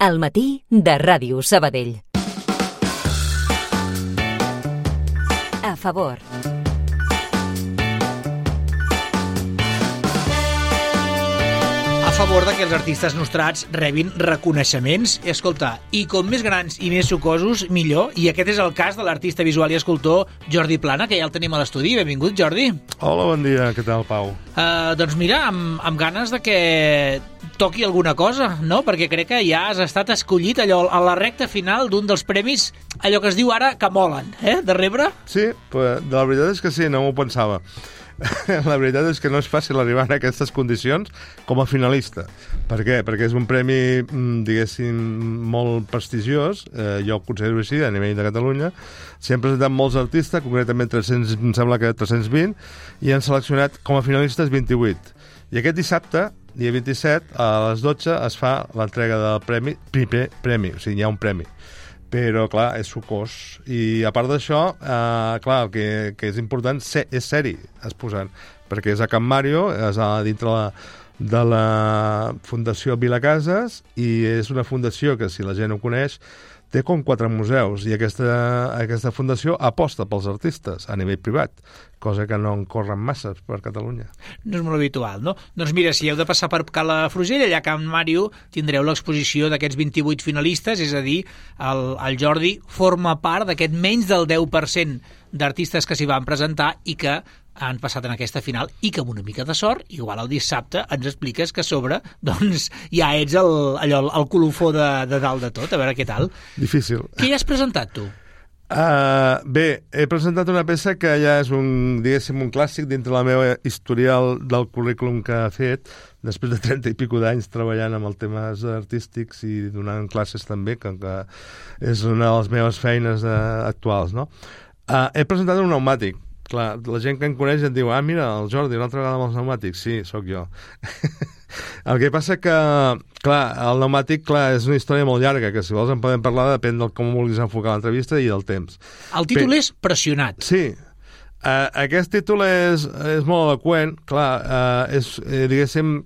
Al matí de Ràdio Sabadell. A favor. A favor que els artistes nostrats rebin reconeixements. I escolta, i com més grans i més sucosos, millor. I aquest és el cas de l'artista visual i escultor Jordi Plana, que ja el tenim a l'estudi. Benvingut, Jordi. Hola, bon dia. Què tal, Pau? Doncs mira, amb ganes de que toqui alguna cosa, no? Perquè crec que ja has estat escollit allò a la recta final d'un dels premis, allò que es diu ara que molen, de rebre. Sí, però la veritat és que sí, no m'ho pensava. La veritat és que no és fàcil arribar a aquestes condicions com a finalista. Per què? Perquè és un premi, diguéssim, molt prestigiós, jo ho considero així, a nivell de Catalunya. S'hi han presentat molts artistes, concretament 300, em sembla que 320, i han seleccionat com a finalistes 28. I aquest dissabte, dia 27, a les 12, es fa l'entrega del premi, o sigui, hi ha un premi. Però, clar, és sucós. I, a part d'això, clar, el que és important és ser-hi exposant, perquè és a Can Mario, és dintre de la Fundació Vilacases, i és una fundació que, si la gent ho coneix, té com 4 museus, i aquesta fundació aposta pels artistes a nivell privat, cosa que no en corren massa per Catalunya. No és molt habitual, no? Doncs mira, si heu de passar per Cala Frugell, allà a Can Mario tindreu l'exposició d'aquests 28 finalistes, és a dir, el Jordi forma part d'aquest menys del 10% d'artistes que s'hi van presentar i que han passat en aquesta final, i que amb una mica de sort, igual el dissabte ens expliques que a sobre doncs, ja ets el colofó de dalt de tot, a veure què tal. Difícil. Què hi has presentat, tu? Bé, he presentat una peça que ja és un clàssic dintre la meva historial del currículum que he fet, després de 30 i pico d'anys treballant amb els temes artístics i donant classes també, que és una de les meves feines actuals, no? He presentat un pneumàtic. Clar, la gent que em coneix em diu, mira, el Jordi, una altra vegada amb els pneumàtics. Sí, sóc jo. El que passa que, clar, el pneumàtic, clar, és una història molt llarga, que si vols en podem parlar, depèn del com vulguis enfocar l'entrevista i del temps. El títol és Pressionat. Sí. Aquest títol és molt eloqüent, clar, diguéssim,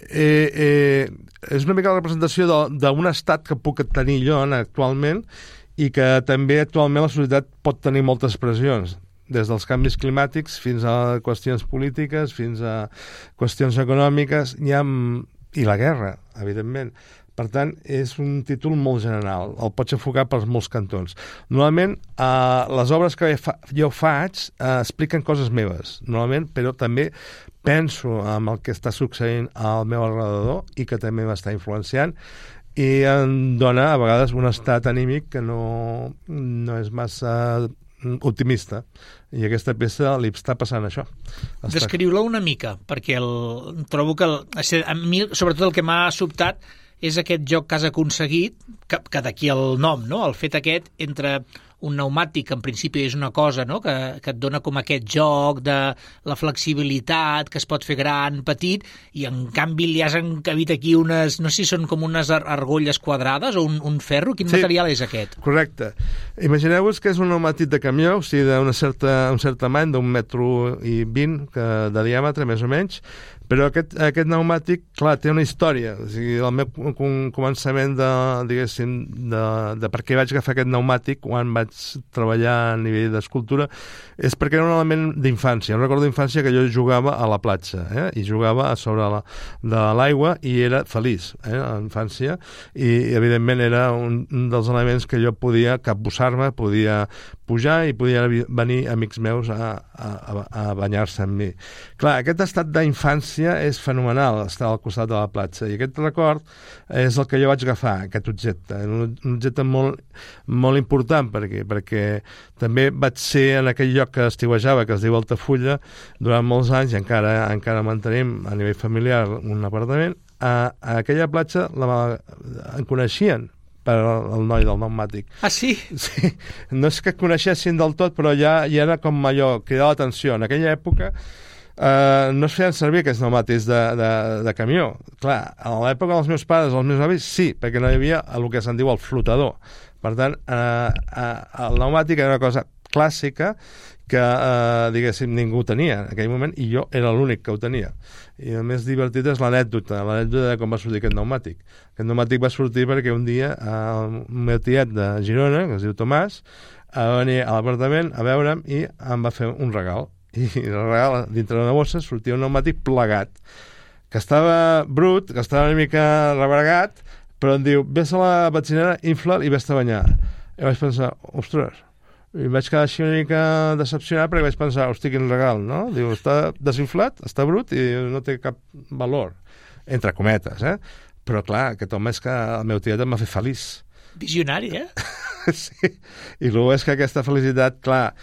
és una mica la representació d'un estat que puc tenir jo actualment i que també actualment la societat pot tenir moltes pressions, des dels canvis climàtics fins a qüestions polítiques, fins a qüestions econòmiques, i la guerra, evidentment. Per tant, és un títol molt general, el pots enfocar pels molts cantons. Normalment, les obres que jo faig expliquen coses meves, normalment, però també penso en el que està succeint al meu alrededor i que també m'està influenciant, i em dona a vegades un estat anímic que no és massa optimista, i aquesta peça li està passant això. Descriu-la una mica, perquè trobo que a mi, sobretot el que m'ha sobtat és aquest joc que has aconseguit, que d'aquí el nom, no? El fet aquest entre un pneumàtic, que en principi és una cosa, no? que et dona com aquest joc de la flexibilitat, que es pot fer gran, petit, i en canvi li has encabit aquí unes, no sé si són com unes argolles quadrades o un ferro. Quin material és aquest? Correcte. Imagineu-vos que és un pneumàtic de camió, o sigui, d'un cert tamany, d'un 1,20 m de diàmetre, més o menys, però aquest pneumàtic, clar, té una història. O sigui, el meu començament de per què vaig agafar aquest pneumàtic quan vaig treballar a nivell d'escultura és perquè era un element d'infància. Recordo d'infància que jo jugava a la platja, i jugava a sobre de l'aigua i era feliç, a la infància, i evidentment era un dels elements que jo podia capbussar-me, podia pujar i podia venir amics meus a banyar-se amb mi. Clar, aquest estat d'infància és fenomenal, estar al costat de la platja, i aquest record és el que jo vaig agafar, aquest objecte, un objecte molt, molt important, perquè també vaig ser en aquell lloc que estiuejava, que es diu Altafulla, durant molts anys, i encara mantenim a nivell familiar un apartament. A aquella platja em coneixien per el noi del pneumàtic. Ah, sí? Sí. No és que coneixessin del tot, però ja era com allò, cridar l'atenció. En aquella època no es feien servir aquests pneumàtics de camió. Clar, a l'època dels meus pares, els meus avis, sí, perquè no hi havia el que se'n diu el flotador. Per tant, el pneumàtic era una cosa clàssica que, diguéssim, ningú tenia en aquell moment, i jo era l'únic que ho tenia. I el més divertit és l'anècdota de com va sortir aquest pneumàtic. Aquest pneumàtic va sortir perquè un dia el meu tiet de Girona, que es diu Tomàs, va venir a l'apartament a veure'm i em va fer un regal. I el regal, dintre d'una bossa, sortia un pneumàtic plegat, que estava brut, que estava una mica rebregat, però em diu, vés a la benzinera, infla'l i vés a banyar. I vaig pensar, ostres, i vaig quedar així una mica decepcionat perquè vaig pensar, hosti, quin regal, no? Diu, està desinflat, està brut i no té cap valor, entre cometes, Però clar, aquest home és que el meu tiet em va fer feliç. Visionari, Sí, i el és que aquesta felicitat, clar,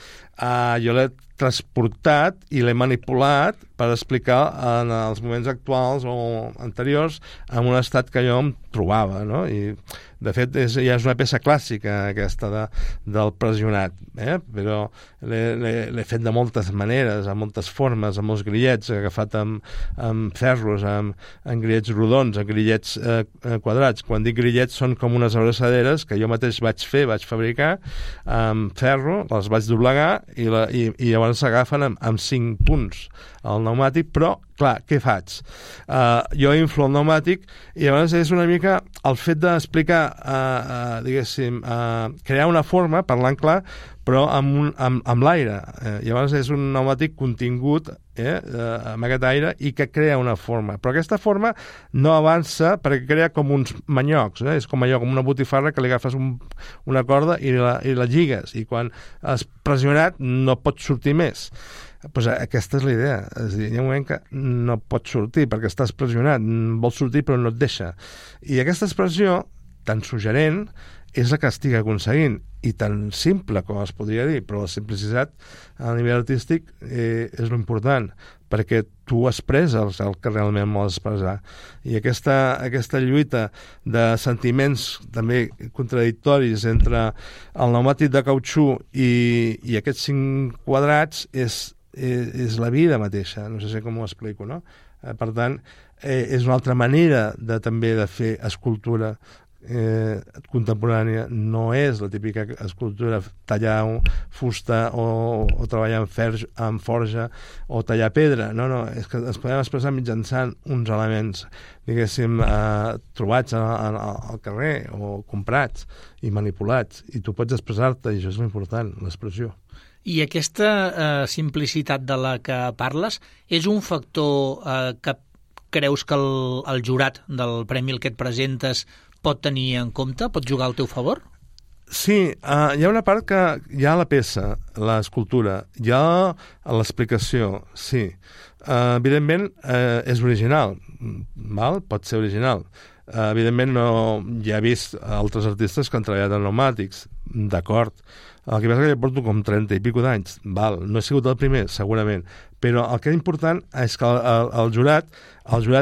jo l'he transportat i l'he manipulat per explicar en els moments actuals o anteriors en un estat que jo em trobava, no? I de fet ja és una peça clàssica aquesta del pressionat, però l'he fet de moltes maneres, amb moltes formes, amb molts grillets, agafat amb ferros, amb grillets rodons, amb grillets quadrats. Quan dic grillets són com unes abraçaderes que jo mateix vaig fabricar amb ferro, les vaig doblegar i llavors s'agafen amb 5 punts al pneumàtic, però clar, què faig? Jo inflo el pneumàtic i llavors és una mica el fet d'explicar, diguéssim, crear una forma, parlant clar, però amb l'aire. Llavors és un pneumàtic contingut amb aquest aire i que crea una forma. Però aquesta forma no avança perquè crea com uns manyocs. És com allò, com una botifarra que li agafes una corda i la lligues. I quan has pressionat no pots sortir més. Pues aquesta és la idea. És a dir, hi ha un moment que no pots sortir perquè estàs pressionat. Vols sortir però no et deixa. I aquesta expressió, tan suggerent, és la que estic aconseguint, i tan simple com es podria dir, però la simplicitat a nivell artístic és l'important, perquè tu expresses el que realment vols expressar. I aquesta lluita de sentiments també contradictoris entre el pneumàtic de cautxú i aquests 5 quadrats és la vida mateixa, no sé si com ho explico, no? Per tant, és una altra manera també de fer escultura contemporània. No és la típica escultura tallar fusta o treballar amb forja o tallar pedra, no, és que es podem expressar mitjançant uns elements, diguéssim, trobats al carrer o comprats i manipulats, i tu pots expressar-te, i això és l'important, l'expressió. I aquesta simplicitat de la que parles és un factor que creus que el jurat del premi al que et presentes pot tenir en compte? Pot jugar al teu favor? Sí, hi ha una part que hi ha la peça, l'escultura, hi ha l'explicació, sí. Evidentment, és original, val? Pot ser original. Evidentment, no hi he vist altres artistes que han treballat en pneumàtics, d'acord. El que passa que jo porto com 30 i pico d'anys, val? No he sigut el primer, segurament, però el que és important és que el jurat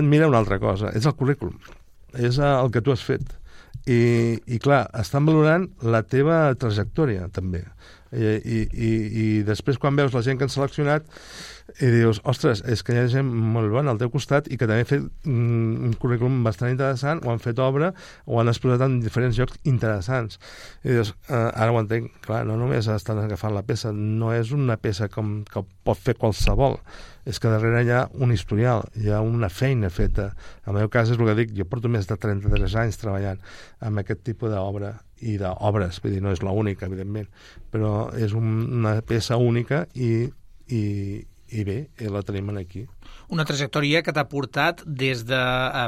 mira una altra cosa, és el currículum, és el que tu has fet. I clar, estan valorant la teva trajectòria, també. I després, quan veus la gent que han seleccionat, i dius, ostres, és que hi ha gent molt bona al teu costat i que també ha fet un currículum bastant interessant, o han fet obra, o han exposat en diferents llocs interessants. I dius, ara ho entenc, clar, no només estan agafant la peça, no és una peça que pot fer qualsevol, és que darrere hi ha un historial, hi ha una feina feta. En el meu cas és el que dic, jo porto més de 33 anys treballant amb aquest tipus d'obra i d'obres, vull dir, no és l'única, evidentment, però és una peça única i bé, la tenim aquí. Una trajectòria que t'ha portat des de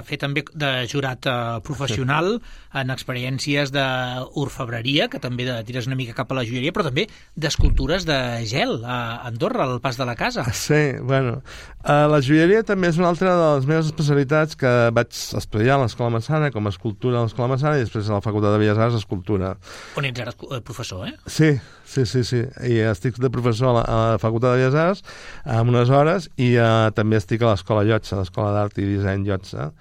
fer també de jurat professional en experiències d'orfebreria, que també tires una mica cap a la joieria, però també d'escultures de gel a Andorra, al Pas de la Casa. Sí, bueno, la joieria també és una altra de les meves especialitats que vaig estudiar a l'Escola Massana, com a escultura a l'Escola Massana, i després a la Facultat de Belles Arts, escultura. On ets ara professor, Sí, i estic de professor a la Facultat de Belles Arts amb unes hores, i també estic a l'Escola Llotja, l'Escola d'Art i Disseny Llotja,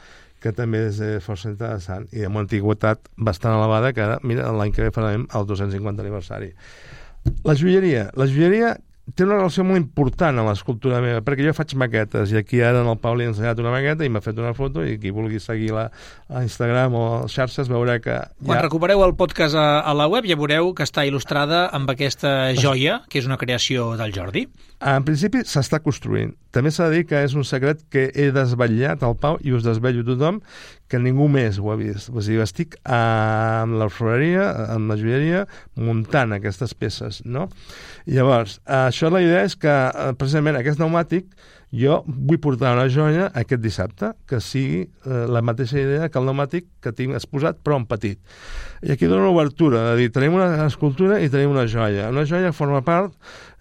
que també és força interessant i amb una antiguitat bastant elevada, que ara, mira, l'any que ve farem el 250 aniversari. La joieria té una relació molt important amb l'escultura meva, perquè jo faig maquetes, i aquí ara en el Pau li he ensenyat una maqueta i m'ha fet una foto, i qui vulgui seguir a Instagram o a les xarxes veurà que... Quan recupereu el podcast a la web ja veureu que està il·lustrada amb aquesta joia, que és una creació del Jordi. En principi s'està construint. També s'ha de dir que és un secret que he desvetllat al Pau i us desvetllo tothom, que ningú més ho ha vist. O sigui, estic amb l'orfebreria, amb la joieria, muntant aquestes peces, no? Llavors, això la idea és que, precisament, aquest pneumàtic, jo vull portar una joia aquest dissabte, que sigui la mateixa idea que el pneumàtic que tinc exposat, però en petit. I aquí dono una obertura, de dir, tenim una escultura i tenim una joia. Una joia forma part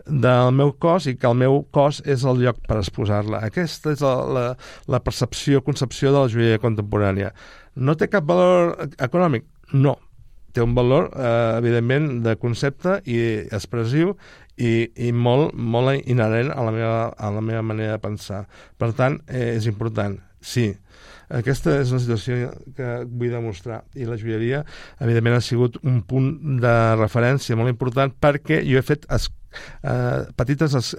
del meu cos i que el meu cos és el lloc per exposar-la. Aquesta és la percepció, concepció de la joieria contemporània. No té cap valor econòmic? No. Té un valor, evidentment, de concepte i expressiu i molt, molt inherent a la meva manera de pensar. Per tant, és important, sí. Aquesta és una situació que vull demostrar, i la joieria, evidentment, ha sigut un punt de referència molt important, perquè jo he fet petites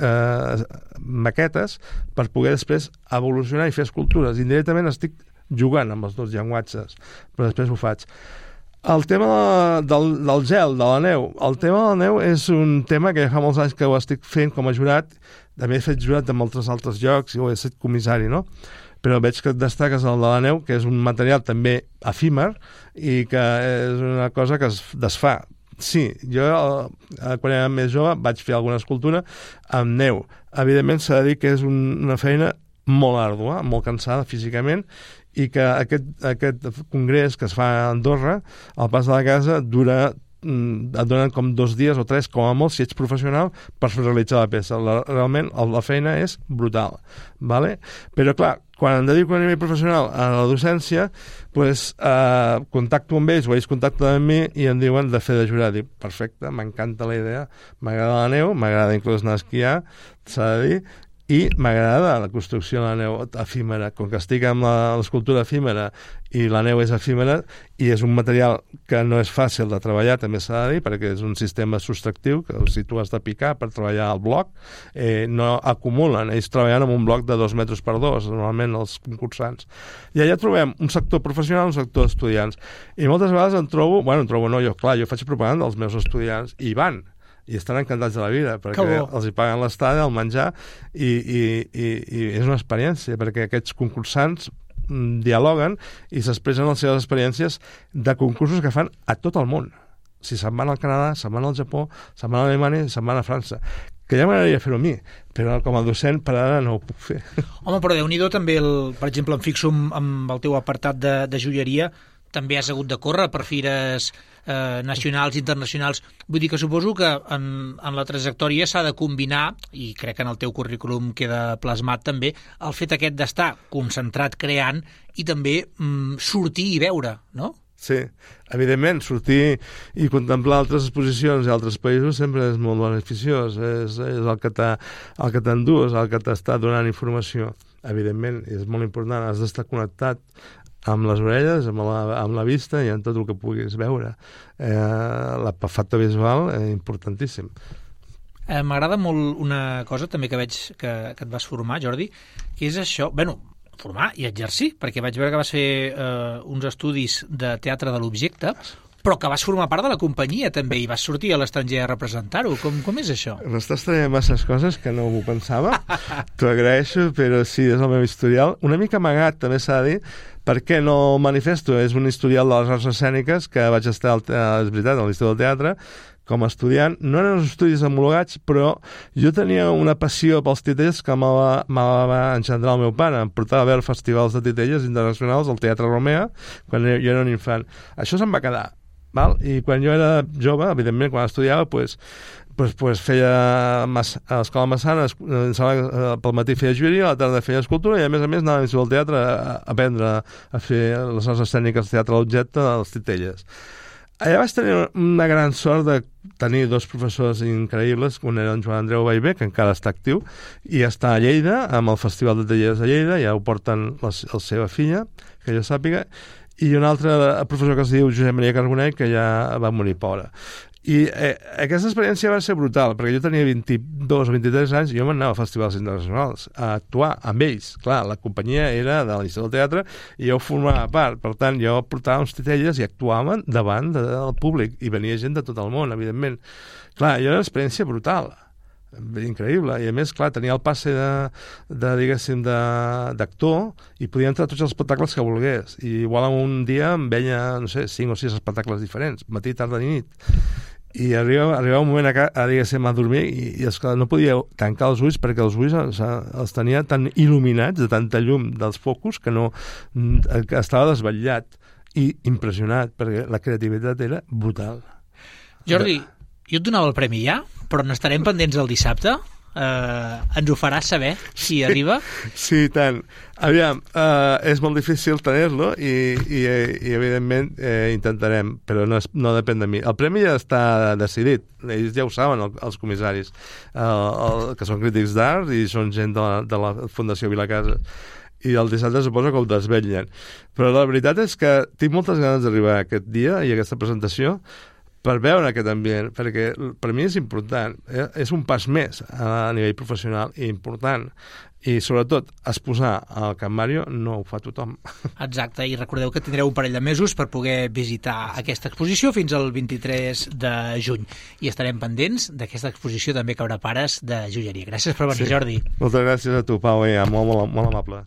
maquetes per poder després evolucionar i fer escultures. Indirectament estic jugant amb els dos llenguatges, però després ho faig. El tema del gel, de la neu. El tema de la neu és un tema que ja fa molts anys que ho estic fent com a jurat. També he fet jurat de molts altres llocs i ho he estat comissari, no? Però veig que et destaques el de la neu, que és un material també efímer i que és una cosa que es desfà. Sí, jo quan era més jove vaig fer alguna escultura amb neu. Evidentment s'ha de dir que és una feina molt àrdua, molt cansada físicament, i que aquest congrés que es fa a Andorra, al Pas de la Casa, et donen com 2 dies o 3, com a molt, si ets professional, per realitzar la peça. Realment, la feina és brutal. ¿Vale? Però, clar, quan em dedico a nivell professional a la docència, pues, contacto amb ells, o ells contacten amb mi i em diuen de fer de jurat. Dic, perfecte, m'encanta la idea, m'agrada la neu, m'agrada inclús anar a esquiar, s'ha de dir, i m'agrada la construcció de la neu efímera. Com que estic amb l'escultura efímera i la neu és efímera i és un material que no és fàcil de treballar, també s'ha de dir, perquè és un sistema subtractiu que si tu has de picar per treballar el bloc, no acumulen. Ells treballen amb un bloc de 2 metres per 2, normalment els concursants. I allà trobem un sector professional i un sector d'estudiants. I moltes vegades jo faig propaganda als meus estudiants i van. I estan encantats de la vida, perquè els hi paguen l'estada, el menjar, i és una experiència, perquè aquests concursants dialoguen i s'expressen les seves experiències de concursos que fan a tot el món. Si se'n van al Canadà, se'n van al Japó, se'n van a Alemanya, se'n van a França. Que ja m'agradaria fer-ho a mi, però com a docent per ara no ho puc fer. Home, però Déu-n'hi-do també, per exemple, em fixo amb el teu apartat de joieria, també has hagut de córrer per fires nacionals, internacionals. Vull dir que suposo que en la trajectòria s'ha de combinar, i crec que en el teu currículum queda plasmat també, el fet aquest d'estar concentrat creant i també sortir i veure, no? Sí, evidentment, sortir i contemplar altres exposicions i altres països sempre és molt beneficiós, és el que t'endús, el que t'està donant informació. Evidentment, és molt important, has d'estar connectat amb les orelles, amb la vista i amb tot el que puguis veure. El factor visual és importantíssim. M'agrada molt una cosa també que veig que et vas formar, Jordi, que és això, formar i exercir, perquè vaig veure que vas fer uns estudis de teatre de l'objecte, però que vas formar part de la companyia també i vas sortir a l'estranger a representar-ho. Com és això? M'estàs traient masses coses que no m'ho pensava. T'ho agraeixo, però sí, és el meu historial. Una mica amagat, també s'ha de dir, perquè no manifesto. És un historial de les arts escèniques que vaig estar, és veritat, a l'Institut del Teatre, com a estudiant. No eren uns estudis homologats, però jo tenia una passió pels titelles que me va engendrar el meu pare. Em portava a veure festivals de titelles internacionals al Teatre Romea quan jo era un infant. Això se'm va quedar. Val? I quan jo era jove, evidentment, quan estudiava, pues feia a l'Escola Massana, pel matí feia joieria, a la tarda feia escultura i a més anava a l'Institut del Teatre a aprendre a fer les arts escèniques de teatre a l'objecte de les titelles. Allà vaig tenir una gran sort de tenir 2 professors increïbles, un era en Joan Andreu Baivé, que encara està actiu, i està a Lleida, amb el Festival de Tallers de Lleida, ja ho porten la seva filla, que jo sàpiga, i un altre professor que es diu Josep Maria Carbonell, que ja va morir pobre. I aquesta experiència va ser brutal, perquè jo tenia 22 o 23 anys i jo m'anava a festivals internacionals a actuar amb ells. Clar, la companyia era de l'Institut del Teatre i jo formava part. Per tant, jo portava uns titelles i actuàvem davant del públic i venia gent de tot el món, evidentment. Clar, jo era una experiència brutal, increïble, i a més, clar, tenia el passe diguéssim, d'actor i podia entrar a tots els espectacles que volgués, i igual un dia em veia, no sé, 5 o 6 espectacles diferents, matí, tarda i nit, i arribava un moment diguéssim, a dormir i esclar, no podia tancar els ulls perquè els ulls els tenia tan il·luminats de tanta llum dels focus que que estava desvetllat i impressionat perquè la creativitat era brutal. Jordi, jo et donava el premi ja, però n'estarem pendents el dissabte. Ens ho faràs saber si arriba? Sí, tant. Aviam, és molt difícil tenir-lo i evidentment intentarem, però no depèn de mi. El premi ja està decidit, ells ja ho saben, els comissaris, que són crítics d'art i són gent de la Fundació Vilacasa. I el dissabte suposo que ho desvetllen. Però la veritat és que tinc moltes ganes d'arribar a aquest dia i a aquesta presentació per veure aquest ambient, perquè per mi és important, és un pas més a nivell professional i important, i sobretot exposar al Can Mario no ho fa tothom. Exacte, i recordeu que tindreu un parell de mesos per poder visitar aquesta exposició fins al 23 de juny, i estarem pendents d'aquesta exposició també que haurà pares de joieria. Gràcies per venir, Jordi. Moltes gràcies a tu, Pau, molt, molt, molt amable.